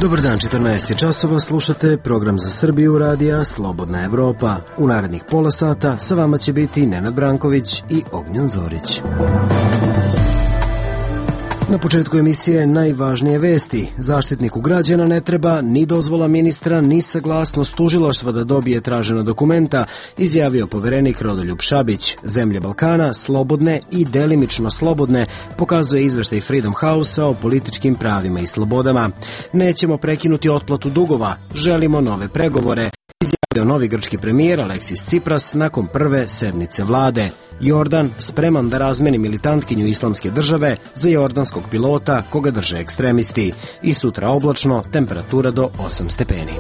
Dobar dan, 14 časova, slušate program za Srbiju radija Slobodna Evropa. U narednih pola sata sa vama će biti Nenad Branković i Ognjen Zorić. Na početku emisije najvažnije vesti. Zaštitniku građana ne treba ni dozvola ministra, ni saglasnost tužilaštva da dobije tražena dokumenta, izjavio poverenik Rodoljub Šabić. Zemlje Balkana, slobodne i delimično slobodne, pokazuje izveštaj Freedom House-a o političkim pravima i slobodama. Nećemo prekinuti otplatu dugova, želimo nove pregovore, izjavio novi grčki premijer Aleksis Tsipras nakon prve sednice vlade. Jordan spreman da razmeni militantkinju Islamske države za jordanskog pilota koga drže ekstremisti. I sutra oblačno, temperatura do 8 stepeni.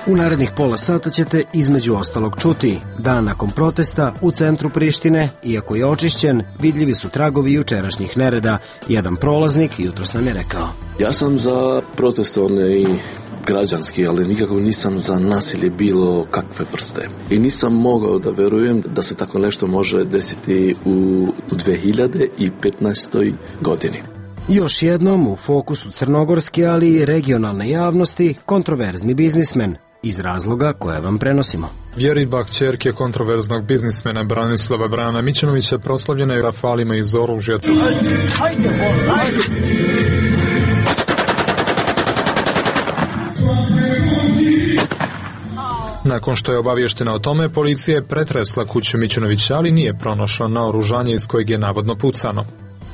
U narednih pola sata ćete između ostalog čuti. Dan nakon protesta u centru Prištine, iako je očišćen, vidljivi su tragovi jučerašnjih nereda. Jedan prolaznik jutros nam je rekao: Ja sam za protestovne i građanski, ali nikako nisam za nasilje bilo kakve vrste. I nisam mogao da verujem da se tako nešto može desiti u 2015. godini. Još jednom u fokusu crnogorske, ali i regionalne javnosti, kontroverzni biznismen, iz razloga koje vam prenosimo. Vjeriba, kćerke kontroverznog biznismena Branislava Brana Mićunovića, proslavljena je rafalima iz oružja. Nakon što je obavještena o tome, policija je pretresla kuću Mićunovića, ali nije pronašla naoružanje iz kojeg je navodno pucano.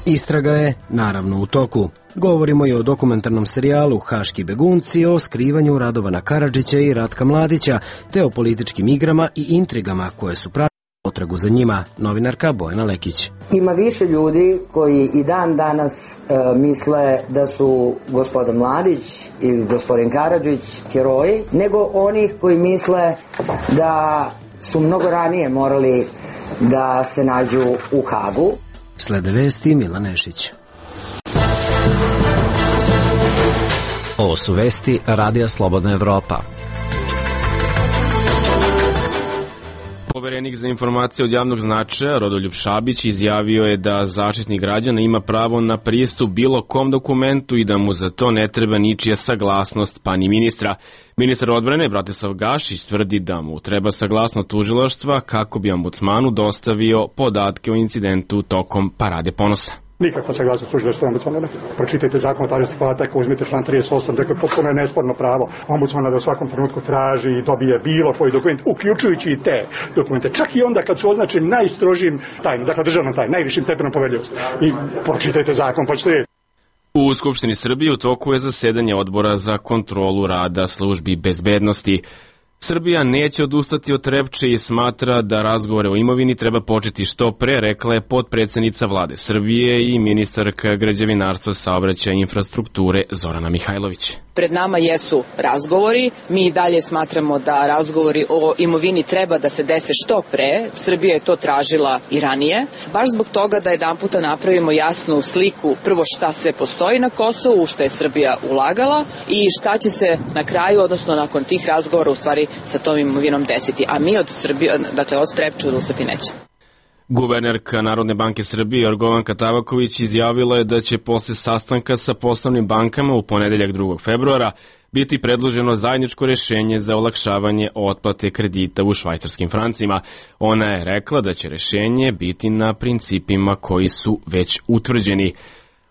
Istraga je, naravno, u toku. Govorimo i o dokumentarnom serijalu Haški begunci, o skrivanju Radovana Karadžića i Ratka Mladića, te o političkim igrama i intrigama koje su pratile potragu za njima. Novinarka Bojana Lekić. Ima više ljudi koji i dan danas misle da su gospodin Mladić i gospodin Karadžić heroji, nego onih koji misle da su mnogo ranije morali da se nađu u Hagu. Slede vesti Milan Nešić. Ovo su vesti Radija Slobodna Evropa. Poverenik za informacije od javnog značaja Rodoljub Šabić izjavio je da Zaštitnik građana ima pravo na pristup bilo kom dokumentu i da mu za to ne treba ničija saglasnost, pa ni ministra. Ministar odbrane Bratislav Gašić tvrdi da mu treba saglasnost tužilaštva kako bi ombudsmanu dostavio podatke o incidentu tokom Parade ponosa. Nikakva saglasnost tužilaštva ombudsmana. Pročitajte zakon o tajnosti podataka, uzmite član 38, dakle potpuno je nesporno pravo ombudsmana da u svakom trenutku traži i dobije bilo koji dokument, uključujući i te dokumente. Čak i onda kad su označeni najstrožim tajnom, dakle državnom tajnom, najvišim stepenom poverljivosti. I pročitajte zakon, pa ćete vidjeti. U Skupštini Srbije u toku je zasedanje Odbora za kontrolu rada službi bezbednosti. Srbija neće odustati od Trepče i smatra da razgovore o imovini treba početi što pre, rekla je potpredsednica vlade Srbije i ministarka građevinarstva, saobraćaja i infrastrukture Zorana Mihajlović. Pred nama jesu razgovori, mi i dalje smatramo da razgovori o imovini treba da se dese što pre, Srbija je to tražila i ranije, baš zbog toga da jedanputa napravimo jasnu sliku prvo šta sve postoji na Kosovu, u što je Srbija ulagala i šta će se na kraju, odnosno nakon tih razgovora u stvari sa tom imovinom desiti, a mi od Srbije, dakle od Trepče odustati neće. Guvernerka Narodne banke Srbije Jorgovanka Tabaković izjavila je da će posle sastanka sa poslovnim bankama u ponedeljak 2. februara biti predloženo zajedničko rešenje za olakšavanje otplate kredita u švajcarskim francima. Ona je rekla da će rešenje biti na principima koji su već utvrđeni.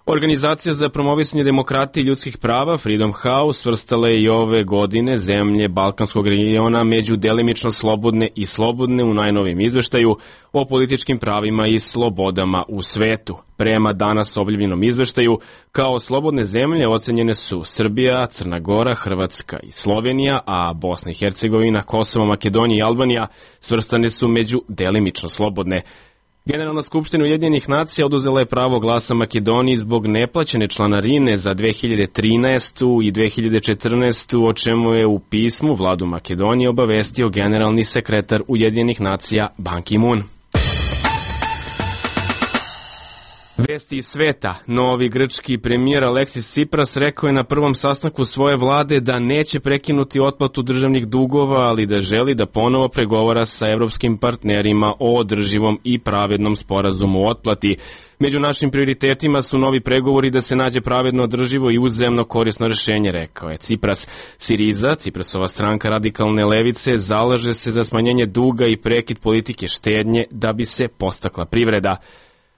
Organizacija za promovisanje demokratije i ljudskih prava Freedom House svrstala je i ove godine zemlje Balkanskog regiona među delimično slobodne i slobodne u najnovijem izveštaju o političkim pravima i slobodama u svetu. Prema danas objavljenom izveštaju, kao slobodne zemlje ocenjene su Srbija, Crna Gora, Hrvatska i Slovenija, a Bosna i Hercegovina, Kosovo, Makedonija i Albanija svrstane su među delimično slobodne. Generalna skupština Ujedinjenih nacija oduzela je pravo glasa Makedoniji zbog neplaćene članarine za 2013. i 2014. o čemu je u pismu vladu Makedonije obavestio generalni sekretar Ujedinjenih nacija Ban Ki-moon. Vesti iz sveta. Novi grčki premijer Aleksis Tsipras rekao je na prvom sastanku svoje vlade da neće prekinuti otplatu državnih dugova, ali da želi da ponovo pregovara sa evropskim partnerima o održivom i pravednom sporazumu o otplati. Među našim prioritetima su novi pregovori da se nađe pravedno, održivo i uzajamno korisno rešenje, rekao je Tsipras. Siriza, Tsiprasova stranka radikalne levice, zalaže se za smanjenje duga i prekid politike štednje da bi se podstakla privreda.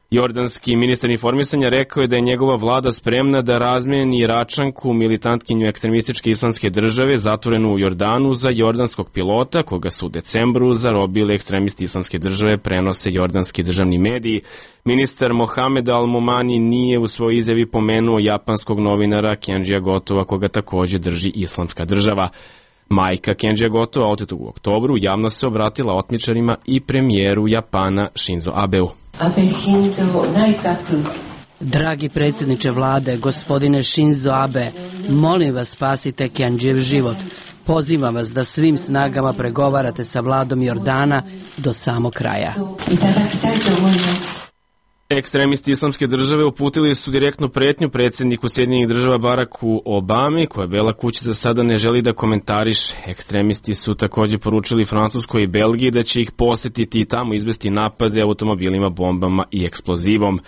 Jordanski ministar informisanja rekao je da je njegova vlada spremna da razmeni Iračanku, militantkinju ekstremističke islamske države, zatvorenu u Jordanu, za jordanskog pilota, koga su u decembru zarobili ekstremisti islamske države, prenose jordanski državni mediji. Ministar Mohamed Al-Momani nije u svojoj izjavi pomenuo japanskog novinara Kenjija Gotova, koga takođe drži islamska država. Majka Kenjija Gotova, otetog u oktobru, javno se obratila otmičarima i premijeru Japana Shinzo Abeu. Dragi predsjedniče vlade, gospodine Shinzo Abe, molim vas spasite Kenjijev život. Pozivam vas da svim snagama pregovarate sa vladom Jordana do samog kraja. Ekstremisti islamske države uputili su direktnu pretnju predsjedniku Sjedinjenih država Baracku Obami, koje Bela kuća za sada ne želi da komentariše. Ekstremisti su takođe poručili Francuskoj i Belgiji da će ih posetiti i tamo izvesti napade automobilima, bombama i eksplozivom.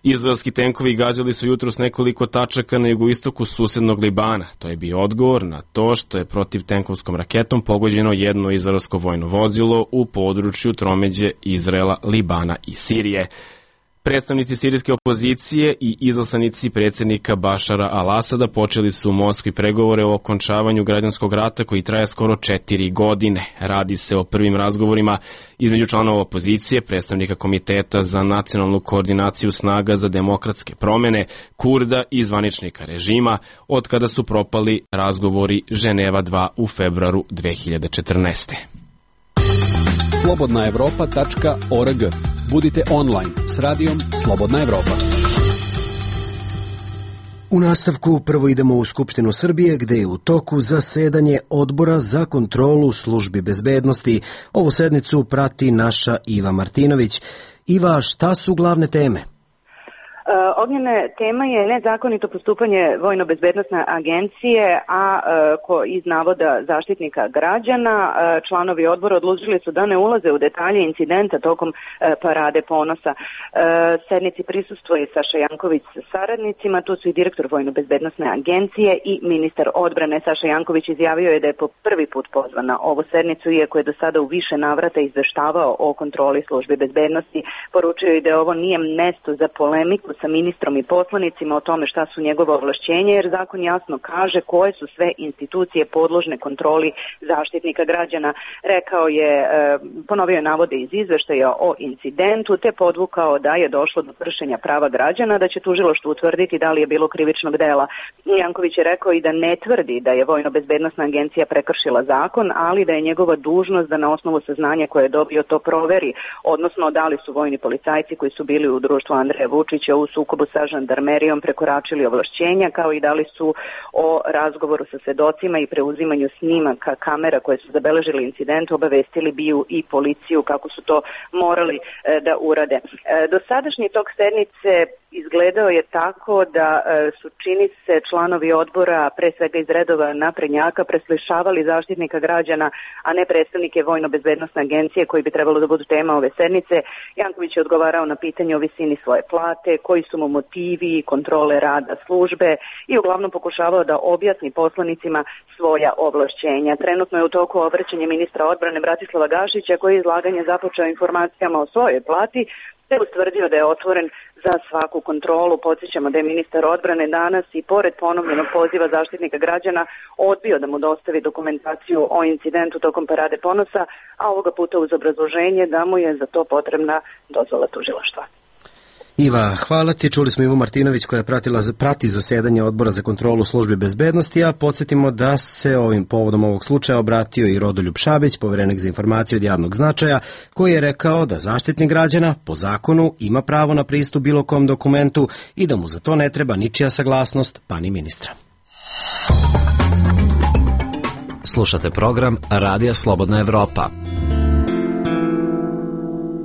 Izraelski tenkovi gađali su jutros nekoliko tačaka na jugoistoku susednog Libana. To je bio odgovor na to što je protivtenkovskom raketom pogođeno jedno izraelsko vojno vozilo u području tromeđe Izraela, Libana i Sirije. Predstavnici sirijske opozicije i izaslanici predsjednika Bašara al-Asada počeli su u Moskvi pregovore o okončavanju građanskog rata koji traje skoro 4 godine. Radi se o prvim razgovorima između članova opozicije, predstavnika Komiteta za nacionalnu koordinaciju snaga za demokratske promene, Kurda i zvaničnika režima, od kada su propali razgovori Ženeva 2 u februaru 2014. slobodnaevropa.org. Budite online s radijom Slobodna Evropa. U nastavku prvo idemo u Skupštinu Srbije, gde je u toku zasedanje Odbora za kontrolu službi bezbednosti. Ovu sednicu prati naša Iva Martinović. Iva, šta su glavne teme? Ognjena tema je nezakonito postupanje Vojno-bezbednosne agencije, iz navoda zaštitnika građana. Članovi odbora odlučili su da ne ulaze u detalje incidenta tokom Parade ponosa. Sednici prisustvuje Saša Janković sa saradnicima, tu su i direktor Vojno-bezbednosne agencije i ministar odbrane. Saša Janković izjavio je da je po prvi put pozvan na ovu sednicu, iako je do sada u više navrata izveštavao o kontroli službi bezbednosti. Poručio je da ovo nije mesto za polemiku sa ministrom i poslanicima o tome šta su njegove ovlašćenja, jer zakon jasno kaže koje su sve institucije podložne kontroli zaštitnika građana. Rekao je, ponovio je navode iz izveštaja o incidentu, te podvukao da je došlo do kršenja prava građana, da će tužilaštvo utvrditi da li je bilo krivičnog dela. Janković je rekao i da ne tvrdi da je Vojno-bezbednosna agencija prekršila zakon, ali da je njegova dužnost da na osnovu saznanja koje je dobio to proveri, odnosno da li su vojni policajci koji su bili u društvu Andreja Vučića u sukobu sa žandarmerijom prekoračili ovlašćenja, kao i da li su o razgovoru sa svedocima i preuzimanju snimaka kamera koje su zabeležili incident obavestili BIA i policiju kako su to morali da urade. Dosadašnji tok sednice izgledao je tako da su, čini se, članovi odbora, pre svega iz redova naprednjaka, preslišavali zaštitnika građana, a ne predstavnike Vojno-bezbednosne agencije koji bi trebalo da budu tema ove sednice. Janković je odgovarao na pitanje o visini svoje plate, koji su mu motivi, kontrole rada službe i uglavnom pokušavao da objasni poslanicima svoja ovlašćenja. Trenutno je u toku obraćanje ministra odbrane Bratislava Gašića, koji je izlaganje započeo informacijama o svojoj plati, te ustvrdio da je otvoren za svaku kontrolu. Podsjećamo da je ministar odbrane danas i pored ponovljenog poziva zaštitnika građana odbio da mu dostavi dokumentaciju o incidentu tokom Parade ponosa, a ovoga puta uz obrazloženje da mu je za to potrebna dozvola tužilaštva. Iva, hvala ti. Čuli smo Ivu Martinović koja prati zasedanje Odbora za kontrolu službi bezbednosti, a podsjetimo da se ovim povodom ovog slučaja obratio i Rodoljub Šabić, poverenik za informacije od javnog značaja, koji je rekao da zaštitnik građana po zakonu ima pravo na pristup bilo kom dokumentu i da mu za to ne treba ničija saglasnost, pa ni ministra. Slušate program Radija Slobodna Evropa.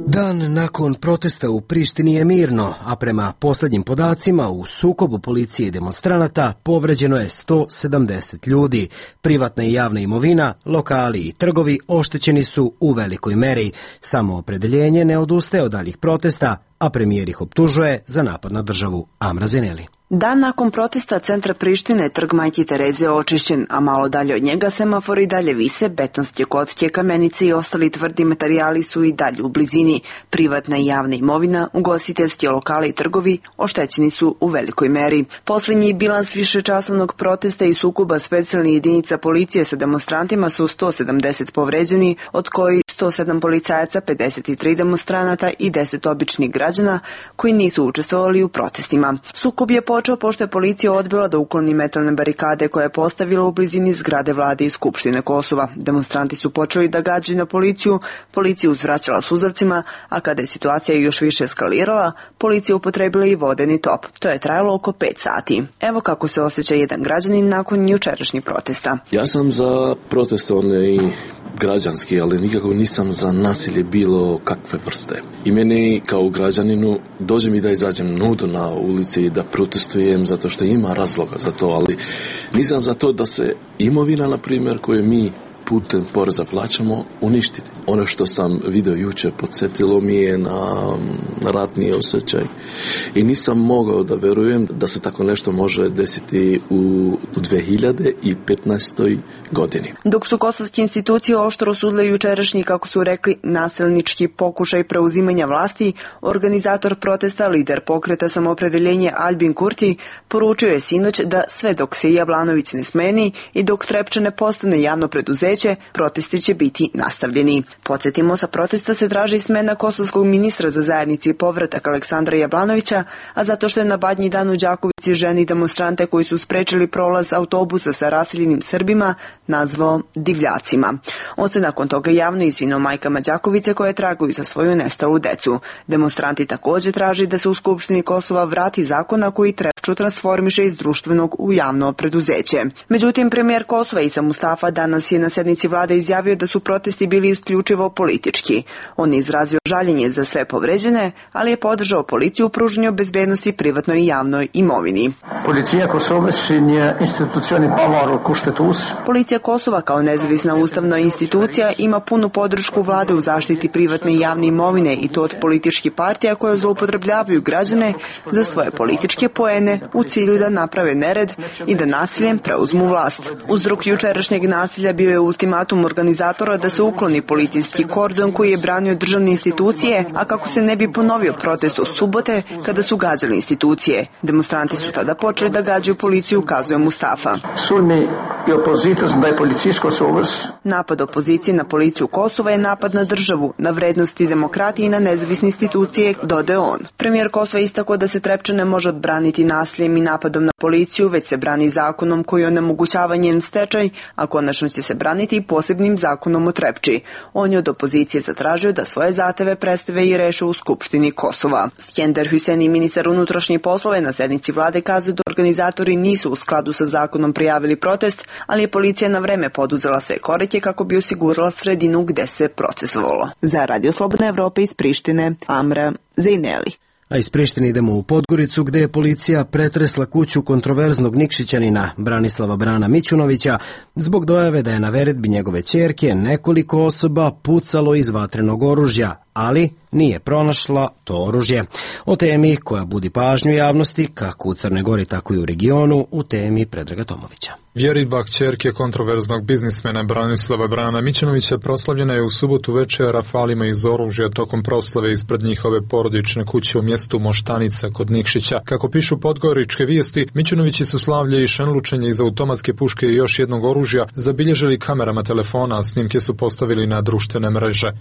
Dan nakon protesta u Prištini je mirno, a prema posljednjim podacima u sukobu policije i demonstranata povređeno je 170 ljudi. Privatna i javna imovina, lokali i trgovi oštećeni su u velikoj meri. Samoopredeljenje ne odustaje od daljih protesta, a premijer ih optužuje za napad na državu. Amra Zeneli. Dan nakon protesta centra Prištine trg Majke Tereze je očišćen, a malo dalje od njega semafori i dalje vise, betonske kocke, kamenice i ostali tvrdi materijali su i dalje u blizini. Privatna i javna imovina, ugostiteljski lokali i trgovi oštećeni su u velikoj meri. Posljednji bilans višečasovnog protesta i sukoba specijalnih jedinica policije sa demonstrantima su 170 povređeni, od kojih 107 policajaca, 53 demonstranata i 10 običnih građana koji nisu učestvovali u protestima. Sukob je počeo pošto je policija odbila da ukloni metalne barikade koje je postavila u blizini zgrade vlade i Skupštine Kosova. Demonstranti su počeli da gađaju na policiju, policija uzvraćala suzavcima, a kada je situacija još više eskalirala, policija upotrebila i vodeni top. To je trajalo oko 5 sati. Evo kako se osjeća jedan građanin nakon jučerašnjih protesta. Ja sam za protestovne i građanski, ali nikako nisam za nasilje bilo kakve vrste. I meni kao građaninu dođe mi da izađem nudo na ulici i da protestujem zato što ima razloga za to, ali nisam za to da se imovina, na primjer, koju mi putem poreza plaćamo, uništiti. Ono što sam vidio jučer podsjetilo mi je na ratni osjećaj i nisam mogao da verujem da se tako nešto može desiti u 2015. godini. Dok su kosovske institucije oštro osudile jučerašnji, kako su rekli, nasilnički pokušaj preuzimanja vlasti, organizator protesta, lider pokreta Samoopredeljenje Albin Kurti, poručio je sinoć da sve dok se Jablanović ne smeni i dok Trepča ne postane javno preduzeće, protesti će biti nastavljeni. Podsjetimo, sa protesta se traži smena kosovskog ministra za zajednici i povratak Aleksandra Jablanovića, a zato što je na Badnji dan u Đakovici ženi demonstrante koji su sprečili prolaz autobusa sa raseljenim Srbima nazvao divljacima. On se nakon toga javno izvinio majkama Đakovice koje tragaju za svoju nestalu decu. Demonstranti također traži da se u Skupštini Kosova vrati zakona koji Trepču transformiše iz društvenog u javno preduzeće. Međutim, premijer Kosova Isa Mustafa danas je na sednici vlade izjavio da su protesti bili isključivo politički. On je izrazio žaljenje za sve povređene, ali je podržao policiju u pružanju bezbednosti privatnoj i javnoj imovini. Policija Kosova kao nezavisna ustavna institucija ima punu podršku vlade u zaštiti privatne i javne imovine i to od političkih partija koje zloupotrebljavaju građane za svoje političke poene u cilju da naprave nered i da nasiljem preuzmu vlast. Uzrok jučerašnjeg nasilja bio je ultimatum organizatora da se ukloni policijski kordon koji je branio državne institucije, a kako se ne bi ponovio protest od subote kada su gađali institucije. Demonstranti su tada počeli da gađaju policiju, kazuje Mustafa. Napad opozicije na policiju Kosova je napad na državu, na vrednosti demokratije i na nezavisne institucije, dodaje on. Premijer Kosova istakao da se Trepča ne može odbraniti nasiljem i napadom na policiju, već se brani zakonom koji onemogućava njen stečaj, a konačno će se braniti i posebnim zakonom o Trepči. On je od opozicije zatražio da svoje zahteve predstave i reše u Skupštini Kosova. Skender Hüseni, ministar unutrašnjih poslova, na sednici vlade kazuje da organizatori nisu u skladu sa zakonom prijavili protest, ali je policija na vreme poduzela sve korake kako bi osigurala sredinu gde se protestovalo. Za Radio Slobodna Evropa iz Prištine, Amra Zeneli. A iz Prištine idemo u Podgoricu gde je policija pretresla kuću kontroverznog Nikšićanina Branislava Brana Mićunovića zbog dojave da je na veredbi njegove ćerke nekoliko osoba pucalo iz vatrenog oružja, ali nije pronašla to oružje. O temi koja budi pažnju javnosti kako u Crnoj Gori tako i u regionu u temi Predraga Tomovića. Vjeridba kćerke kontroverznog biznismena Branislava Brana Mićunovića proslavljena je u subotu večer rafalima iz oružja tokom proslave ispred njihove porodične kuće u mjestu Moštanica kod Nikšića. Kako pišu podgoričke vijesti, Mićunovići su slavlje i šenlučenje iz automatske puške i još jednog oružja zabilježili kamerama telefona, a snimke su postavili na društvene mreže.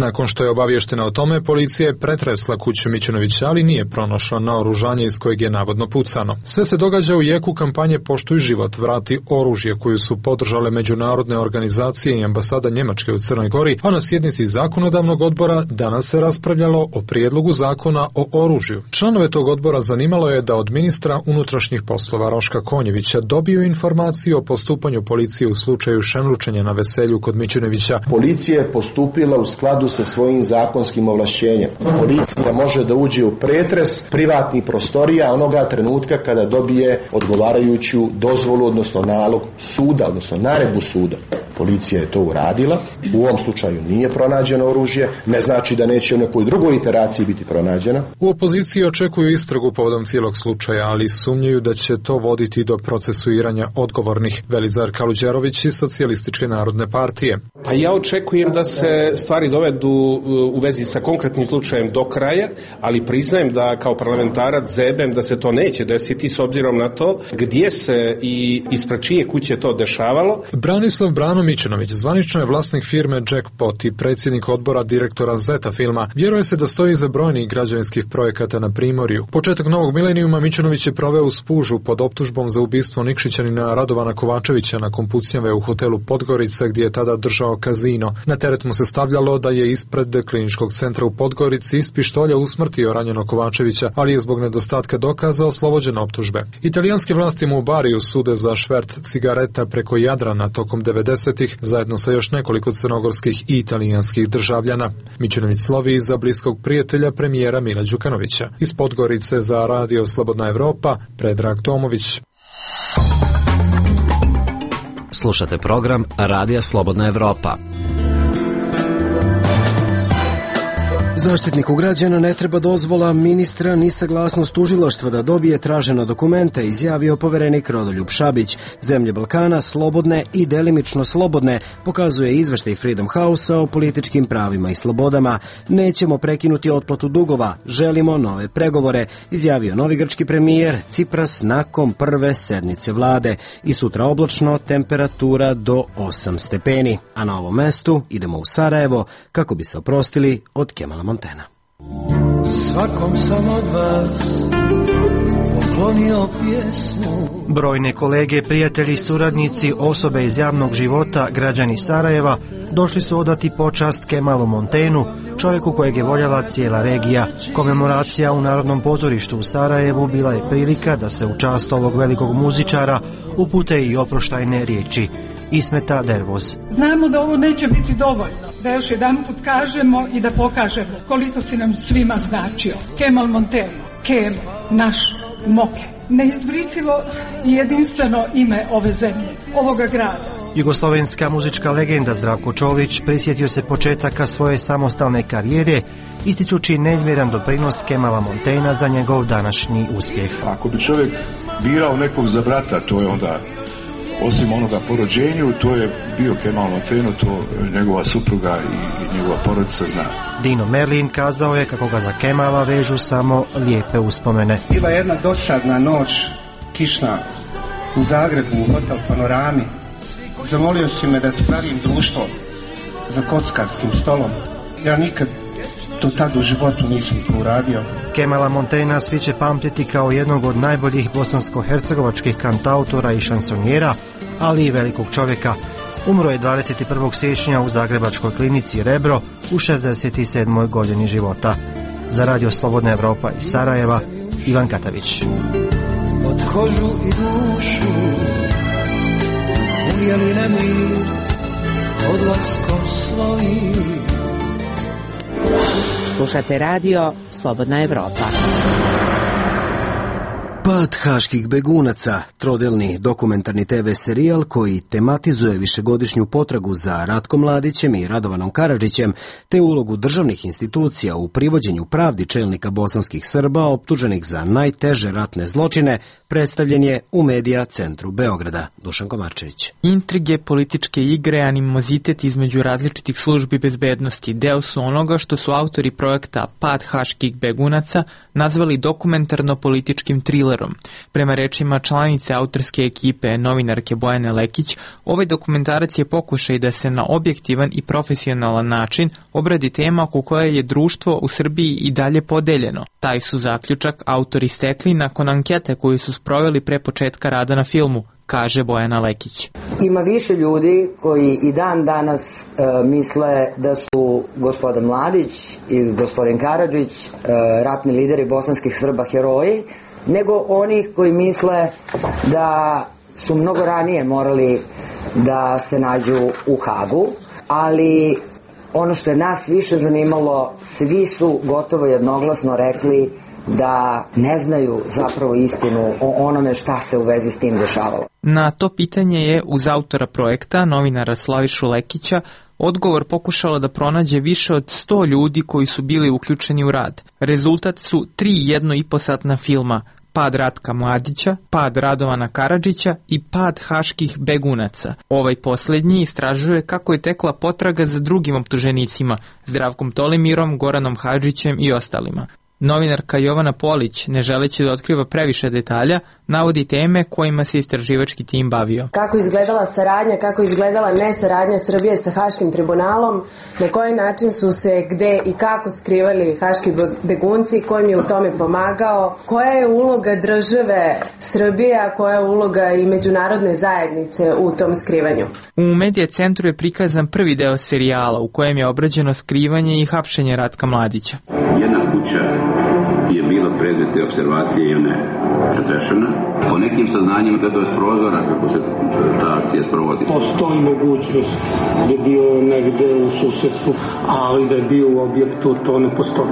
Nakon što je obavještena o tome, policija je pretresla kuću Mićunovića, ali nije pronašla naoružanje iz kojeg je navodno pucano. Sve se događa u jeku kampanje Poštuj život, vrati oružje, koju su podržale međunarodne organizacije i ambasada Njemačke u Crnoj Gori, a na sjednici zakonodavnog odbora danas se raspravljalo o prijedlogu zakona o oružju. Članove tog odbora zanimalo je da od ministra unutrašnjih poslova Roška Konjevića dobiju informaciju o postupanju policije u slučaju šemručenja na veselju kod Mićunovića. Policija je postupila u skladu sa svojim zakonskim ovlašćenjem. Policija može da uđe u pretres privatnih prostorija onoga trenutka kada dobije odgovarajuću dozvolu, odnosno nalog suda, odnosno naredbu suda. Policija je to uradila. U ovom slučaju nije pronađeno oružje, ne znači da neće u nekoj drugoj iteraciji biti pronađeno. U opoziciji očekuju istragu povodom cijelog slučaja, ali sumnjaju da će to voditi do procesuiranja odgovornih. Velizar Kaluđerović iz Socijalističke narodne partije. Pa ja očekujem da se stvari dovedu u vezi sa konkretnim slučajem do kraja, ali priznajem da kao parlamentarac zebem da se to neće desiti s obzirom na to gdje se i ispred čije kuće to dešavalo. Branislav Brano Mićunović zvanično je vlasnik firme Jackpot i predsjednik odbora direktora Zeta filma. Vjeruje se da stoji iza brojnih građevinskih projekata na Primorju. Početak novog milenijuma Mićunović je proveo u Spužu pod optužbom za ubistvo Nikšićanina Radovana Kovačevića nakon pucnjave u hotelu Podgorica gdje je tada držao kazino. Na teret mu se stavljalo da je ispred kliničkog centra u Podgorici iz pištolja usmrtio ranjenog Kovačevića, ali je zbog nedostatka dokaza oslobođen optužbe. Italijanske vlasti mu u Bariju sude za šverc cigareta preko Jadrana tokom 90-ih zajedno sa još nekoliko crnogorskih i italijanskih državljana. Mićunović slovi iza bliskog prijatelja premijera Mila Đukanovića. Iz Podgorice za Radio Slobodna Evropa, Predrag Tomović. Slušate program Radija Slobodna Evropa. Zaštitniku građana ne treba dozvola ministra ni saglasnost tužilaštva da dobije tražena dokumenta, izjavio poverenik Rodoljub Šabić. Zemlje Balkana slobodne i delimično slobodne, pokazuje izveštaj Freedom House-a o političkim pravima i slobodama. Nećemo prekinuti otplatu dugova, želimo nove pregovore, izjavio novi grčki premijer Cipras nakon prve sednice vlade. I sutra oblačno, temperatura do 8 stepeni. A na ovom mestu idemo u Sarajevo kako bi se oprostili od Kemala Montena. Svakom sam od vas poklonio pjesmu. Brojne kolege, prijatelji, suradnici, osobe iz javnog života, građani Sarajeva došli su odati počast Kemalu Montenu, čovjeku kojeg je voljela cijela regija. Komemoracija u Narodnom pozorištu u Sarajevu bila je prilika da se u čast ovog velikog muzičara upute i oproštajne riječi. Ismeta Dervoz. Znamo da ovo neće biti dovoljno, da još jedanput kažemo i da pokažemo koliko si nam svima značio. Kemal Monteno, Kemo, naš Moke. Neizbrisivo i jedinstveno ime ove zemlje, ovoga grada. Jugoslovenska muzička legenda Zdravko Čolić prisjetio se početaka svoje samostalne karijere, ističući neizmjeran doprinos Kemala Montena za njegov današnji uspjeh. Ako bi čovjek birao nekog za brata, to je onda, osim onoga po rođenju, to je bio Kemal Monteno, to njegova supruga i njegova porodica zna. Dino Merlin kazao je kako ga za Kemala vežu samo lijepe uspomene. Bila jedna dosadna noć, kišna, u Zagrebu, u hotel Panorami. Zamolio si me da ti pravim društvo za kockarskim stolom. Ja nikad do tada u životu nisam to uradio. Kemala Montena svi će pamtiti kao jednog od najboljih bosansko-hercegovačkih kantautora i šansonjera, ali i velikog čovjeka. Umro je 21. siječnja u Zagrebačkoj klinici Rebro u 67. godini života. Za Radio Slobodna Evropa iz Sarajeva, Ivan Katavić. Od kožu i dušu ujeli nemir odlaskom svojim. Slušate Radio Slobodna Evropa. Pad haških begunaca, trodelni dokumentarni TV serijal koji tematizuje višegodišnju potragu za Ratkom Mladićem i Radovanom Karadžićem, te ulogu državnih institucija u privođenju pravdi čelnika bosanskih Srba optuženih za najteže ratne zločine, predstavljen je u Medija centru Beograda. Dušan Komarčević. Intrige, političke igre, animozitet između različitih službi bezbednosti deo su onoga što su autori projekta Pad haških begunaca nazvali dokumentarno-političkim trilerom Teodorom. Prema rečima članice autorske ekipe, novinarke Bojane Lekić, ovaj dokumentarac je pokušaj da se na objektivan i profesionalan način obradi tema oko koje je društvo u Srbiji i dalje podeljeno. Taj su zaključak autori stekli nakon ankete koju su sproveli pre početka rada na filmu, kaže Bojana Lekić. Ima više ljudi koji i dan danas misle da su gospodin Mladić i gospodin Karadžić, ratni lideri bosanskih Srba, heroji, nego onih koji misle da su mnogo ranije morali da se nađu u Hagu, ali ono što je nas više zanimalo, svi su gotovo jednoglasno rekli da ne znaju zapravo istinu o onome šta se u vezi s tim dešavalo. Na to pitanje je uz autora projekta, novinara Slavišu Lekića, odgovor pokušala da pronađe više od 100 ljudi koji su bili uključeni u rad. Rezultat su 3 1,5-satna filma: Pad Ratka Mladića, Pad Radovana Karadžića i Pad haških begunaca. Ovaj posljednji istražuje kako je tekla potraga za drugim optuženicima, Zdravkom Tolimirom, Goranom Hadžićem i ostalima. Novinarka Jovana Polić, ne želeći da otkriva previše detalja, navodi teme kojima se istraživački tim bavio. Kako izgledala saradnja, kako izgledala nesaradnja Srbije sa Haškim tribunalom, na koji način su se gde i kako skrivali haški begunci, ko im je u tome pomagao, koja je uloga države Srbije, a koja je uloga i međunarodne zajednice u tom skrivanju. U Medija centru je prikazan prvi deo serijala u kojem je obrađeno skrivanje i hapšenje Ratka Mladića. Jedna kuća je bila predmet te observacije i ona je pretrešena. Po nekim saznanjima da je s prozora kako se ta akcija sprovodi. Postoji mogućnost da je bio negde u susedstvu, ali da je bio u objektu, to ne postoji.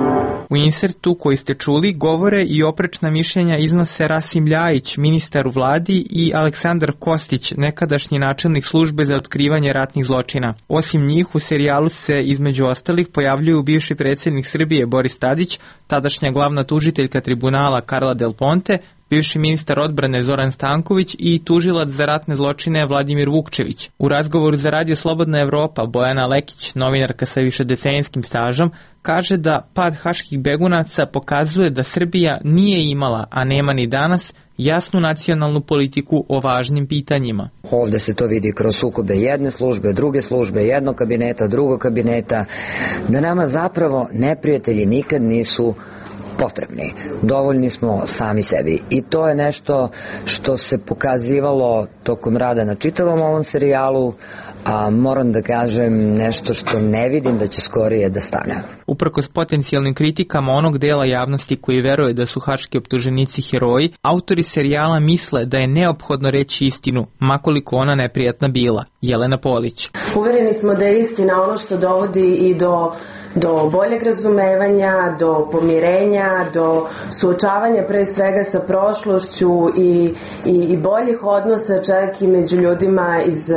U insertu koji ste čuli govore i oprečna mišljenja iznose Rasim Ljajić, ministar u vladi, i Aleksandar Kostić, nekadašnji načelnik službe za otkrivanje ratnih zločina. Osim njih u serijalu se između ostalih pojavljuju bivši predsjednik Srbije Boris Tadić, tadašnja glavna tužiteljka tribunala Karla Del Ponte, bivši ministar odbrane Zoran Stanković i tužilac za ratne zločine Vladimir Vukčević. U razgovoru za Radio Slobodna Evropa Bojana Lekić, novinarka sa višedecenijskim stažom, kaže da pad haških begunaca pokazuje da Srbija nije imala, a nema ni danas, jasnu nacionalnu politiku o važnim pitanjima. Ovde se to vidi kroz sukobe jedne službe, druge službe, jednog kabineta, drugog kabineta, da nama zapravo neprijatelji nikad nisu potrebni. Dovoljni smo sami sebi. I to je nešto što se pokazivalo tokom rada na čitavom ovom serijalu, a moram da kažem nešto što ne vidim da će skorije da stane. Uprkos potencijalnim kritikama onog dela javnosti koji veruje da su haški optuženici heroji, autori serijala misle da je neophodno reći istinu, makoliko ona neprijatna bila. Jelena Polić. Uvereni smo da je istina ono što dovodi i do boljeg razumevanja, do pomirenja, do suočavanja pre svega sa prošlošću i boljih odnosa čak i među ljudima iz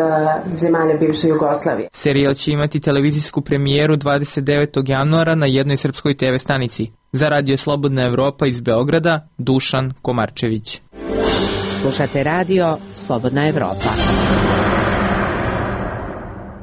zemalja bivše Jugoslavije. Serijal će imati televizijsku premijeru 29. januara na jednoj srpskoj TV stanici. Za Radio Slobodna Evropa iz Beograda, Dušan Komarčević. Slušate Radio Slobodna Evropa.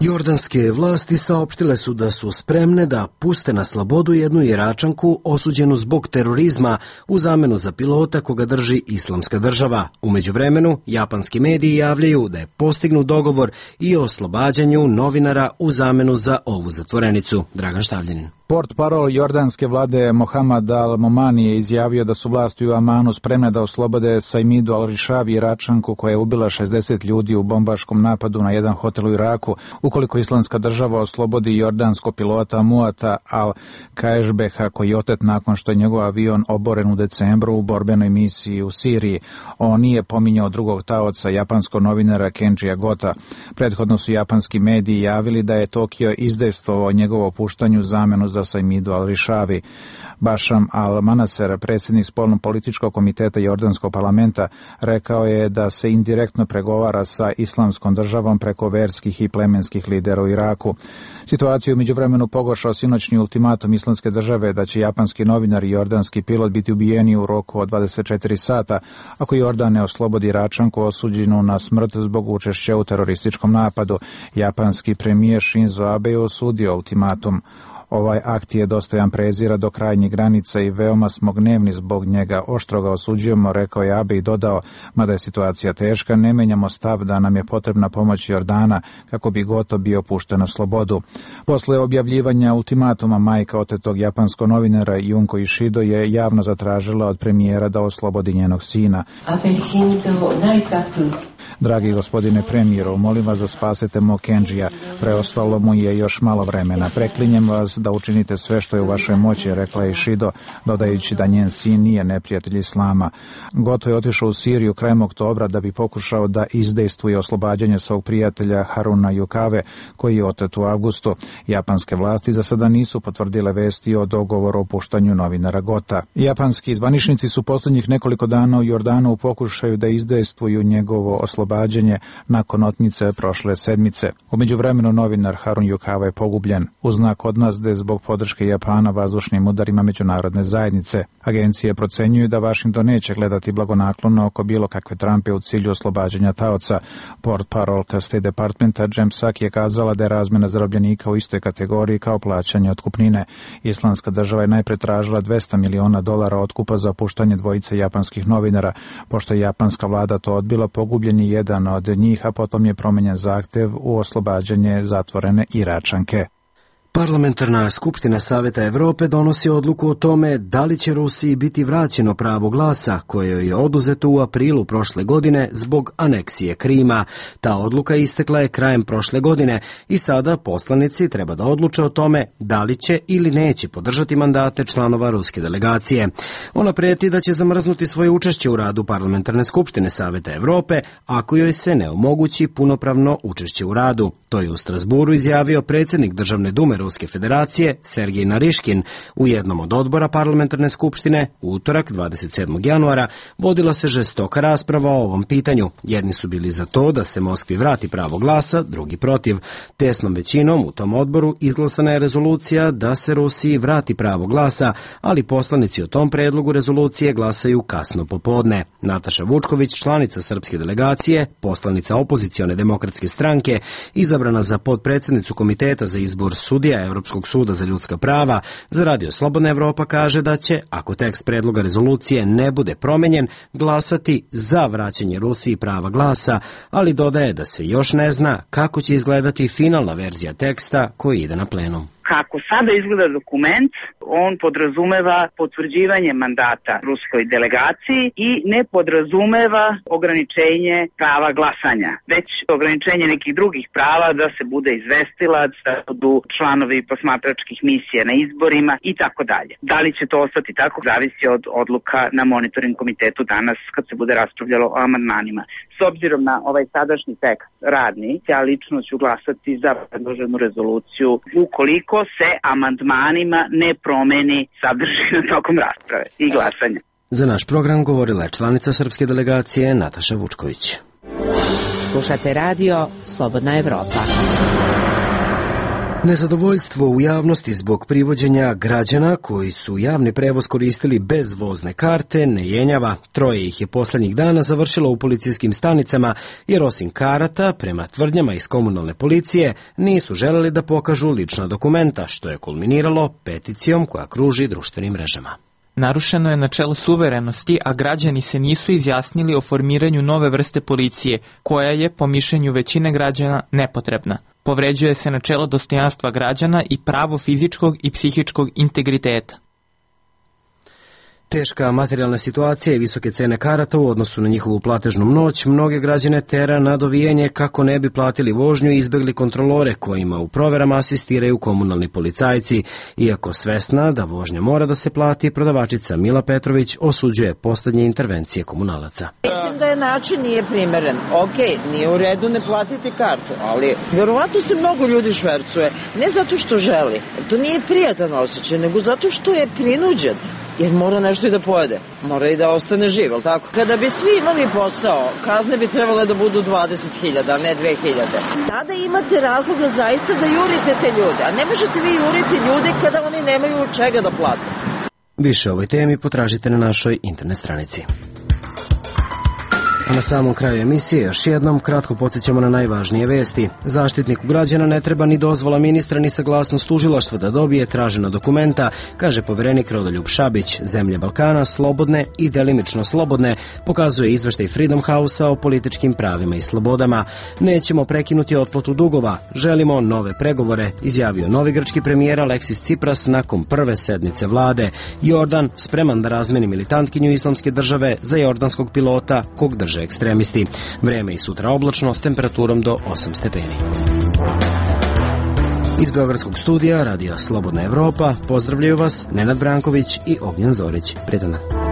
Jordanske vlasti saopštile su da su spremne da puste na slobodu jednu Iračanku osuđenu zbog terorizma u zamenu za pilota koga drži Islamska država. U međuvremenu, japanski mediji javljaju da je postignut dogovor i o oslobađanju novinara u zamenu za ovu zatvorenicu. Dragan Štavljanin. Portparol jordanske vlade Mohamed Al-Momani je izjavio da su vlasti u Amanu spremne da oslobode Saimidu Al-Rishavi, Iračanku koja je ubila 60 ljudi u bombaškom napadu na jedan hotel u Iraku, ukoliko Islamska država oslobodi jordanskog pilota Muata Al-Kaešbeha koji je otet nakon što je njegov avion oboren u decembru u borbenoj misiji u Siriji. On nije pominjao drugog taoca, japanskog novinara Kenjija Gota. Prethodno su japanski mediji javili da je Tokio izdejstvovao njegovo opuštanju zamenu za Saimidu Al-Rishavi. Bašam Al-Manaser, predsjednik spoljno-političkog komiteta Jordanskog parlamenta, rekao je da se indirektno pregovara sa Islamskom državom preko verskih i plemenskih lidera u Iraku. Situaciju među vremenu pogoršao sinoćni ultimatum Islamske države da će japanski novinar i jordanski pilot biti ubijeni u roku od 24 sata ako Jordan ne oslobodi Iračanku osuđenu na smrt zbog učešća u terorističkom napadu. Japanski premijer Shinzo Abe je osudio ultimatum. Ovaj akt je dostojan prezira do krajnjih granica i veoma smo gnevni zbog njega. Oštro ga osuđujemo, rekao je Abe i dodao, mada je situacija teška, ne menjamo stav da nam je potrebna pomoć Jordana kako bi Goto bio pušten na slobodu. Posle objavljivanja ultimatuma majka otetog japanskog novinara Junko Ishido je javno zatražila od premijera da oslobodi njenog sina. Dragi gospodine premijeru, molim vas da spasete mog Kenjija, preostalo mu je još malo vremena. Preklinjem vas da učinite sve što je u vašoj moći, rekla je Ishido, dodajući da njen sin nije neprijatelj islama. Goto je otišao u Siriju krajem oktobra da bi pokušao da izdejstvuje oslobađanje svog prijatelja Haruna Yukave, koji je otet u avgustu. Japanske vlasti za sada nisu potvrdile vesti o dogovoru o puštanju novinara Gota. Japanski zvaničnici su posljednjih nekoliko dana u Jordanu u pokušaju da izdejstvuju njegovo oslobađanje nakon otmice prošle sedmice. U međuvremenu novinar Harun Yukava je pogubljen u znak odmazde zbog podrške Japana vazdušnim udarima međunarodne zajednice. Agencije procenjuju da Washington neće gledati blagonaklono oko bilo kakve trampe u cilju oslobađanja taoca. Portparolka State Departmenta Jem Psaki je kazala da je razmjena zarobljenika u istoj kategoriji kao plaćanje otkupnine. Islamska država je najpre tražila $200 miliona otkupa za puštanje dvojice japanskih novinara. Pošto je japanska vlada to odbila, pogubljen je jedan od njih, a potom je promenjen zahtev u oslobađanje zatvorene Iračanke. Parlamentarna skupština Saveta Evrope donosi odluku o tome da li će Rusiji biti vraćeno pravo glasa koje je oduzeto u aprilu prošle godine zbog aneksije Krima. Ta odluka istekla je krajem prošle godine i sada poslanici treba da odluče o tome da li će ili neće podržati mandate članova ruske delegacije. Ona preti da će zamrznuti svoje učešće u radu Parlamentarne skupštine Saveta Evrope ako joj se ne omogući punopravno učešće u radu. To je u Strasburu izjavio predsjednik Državne dume Ruske federacije Sergej Nariškin. U jednom od odbora Parlamentarne skupštine u utorak 27. januara vodila se žestoka rasprava o ovom pitanju. Jedni su bili za to da se Moskvi vrati pravo glasa, drugi protiv. Tesnom većinom u tom odboru izglasana je rezolucija da se Rusiji vrati pravo glasa, ali poslanici o tom predlogu rezolucije glasaju kasno popodne. Nataša Vučković, članica srpske delegacije, poslanica opozicione demokratske stranke, izabrana za potpredsjednicu Komiteta za izbor sudija Evropskog suda za ljudska prava, za Radio Slobodna Evropa kaže da će, ako tekst predloga rezolucije ne bude promenjen, glasati za vraćanje Rusiji prava glasa, ali dodaje da se još ne zna kako će izgledati finalna verzija teksta koji ide na plenum. Kako sada izgleda dokument, on podrazumeva potvrđivanje mandata ruskoj delegaciji i ne podrazumeva ograničenje prava glasanja, već ograničenje nekih drugih prava da se bude izvestilac, da budu članovi posmatračkih misija na izborima i tako dalje. Da li će to ostati tako, zavisi od odluka na monitoring komitetu danas kad se bude raspravljalo o amandmanima. S obzirom na ovaj sadašnji tekst radni, ja lično ću glasati za predloženu rezoluciju ukoliko se amandmanima ne promeni sadržina tokom rasprave i glasanja. Za naš program govorila je članica srpske delegacije Nataša Vučković. Slušate radio Slobodna Evropa. Nezadovoljstvo u javnosti zbog privođenja građana koji su javni prevoz koristili bez vozne karte ne jenjava. 3 ih je poslednjih dana završilo u policijskim stanicama jer osim karata, prema tvrdnjama iz komunalne policije, nisu želeli da pokažu lična dokumenta, što je kulminiralo peticijom koja kruži društvenim mrežama. Narušeno je načelo suverenosti, a građani se nisu izjasnili o formiranju nove vrste policije, koja je, po mišljenju većine građana, nepotrebna. Povređuje se načelo dostojanstva građana i pravo fizičkog i psihičkog integriteta. Teška materijalna situacija i visoke cene karata u odnosu na njihovu platežnu moć mnoge građane tera na dovijenje kako ne bi platili vožnju i izbegli kontrolore kojima u proverama asistiraju komunalni policajci. Iako svesna da vožnja mora da se plati, prodavačica Mila Petrović osuđuje poslednje intervencije komunalaca. Mislim da je način nije primeren. Nije u redu ne platiti kartu, ali verovatno se mnogo ljudi švercuje. Ne zato što želi, to nije prijatan osjećaj, nego zato što je prinuđen. Jer mora nešto i da pojede. Mora i da ostane živ, ali tako? Kada bi svi imali posao, kazne bi trebale da budu 20.000, a ne 2.000. Tada imate razloga zaista da jurite te ljude, a ne možete vi juriti ljude kada oni nemaju čega da plate. Više o ovoj temi potražite na našoj internet stranici. A na samom kraju emisije još jednom kratko podsjećamo na najvažnije vesti. Zaštitniku građana ne treba ni dozvola ministra ni saglasnost tužilaštva da dobije tražena dokumenta, kaže poverenik Rodoljub Šabić. Zemlje Balkana slobodne i delimično slobodne, pokazuje izveštaj Freedom House-a o političkim pravima i slobodama. Nećemo prekinuti otplatu dugova, želimo nove pregovore, izjavio novi grčki premijer Aleksis Tsipras nakon prve sednice vlade. Jordan spreman da razmeni militantkinju Islamske države za jordanskog pilota kog drže ekstremisti. Vreme i sutra oblačno s temperaturom do 8 stepeni. Iz Beogradskog studija Radija Slobodna Evropa pozdravljaju vas Nenad Branković i Ognjen Zorić. Prijetan dan.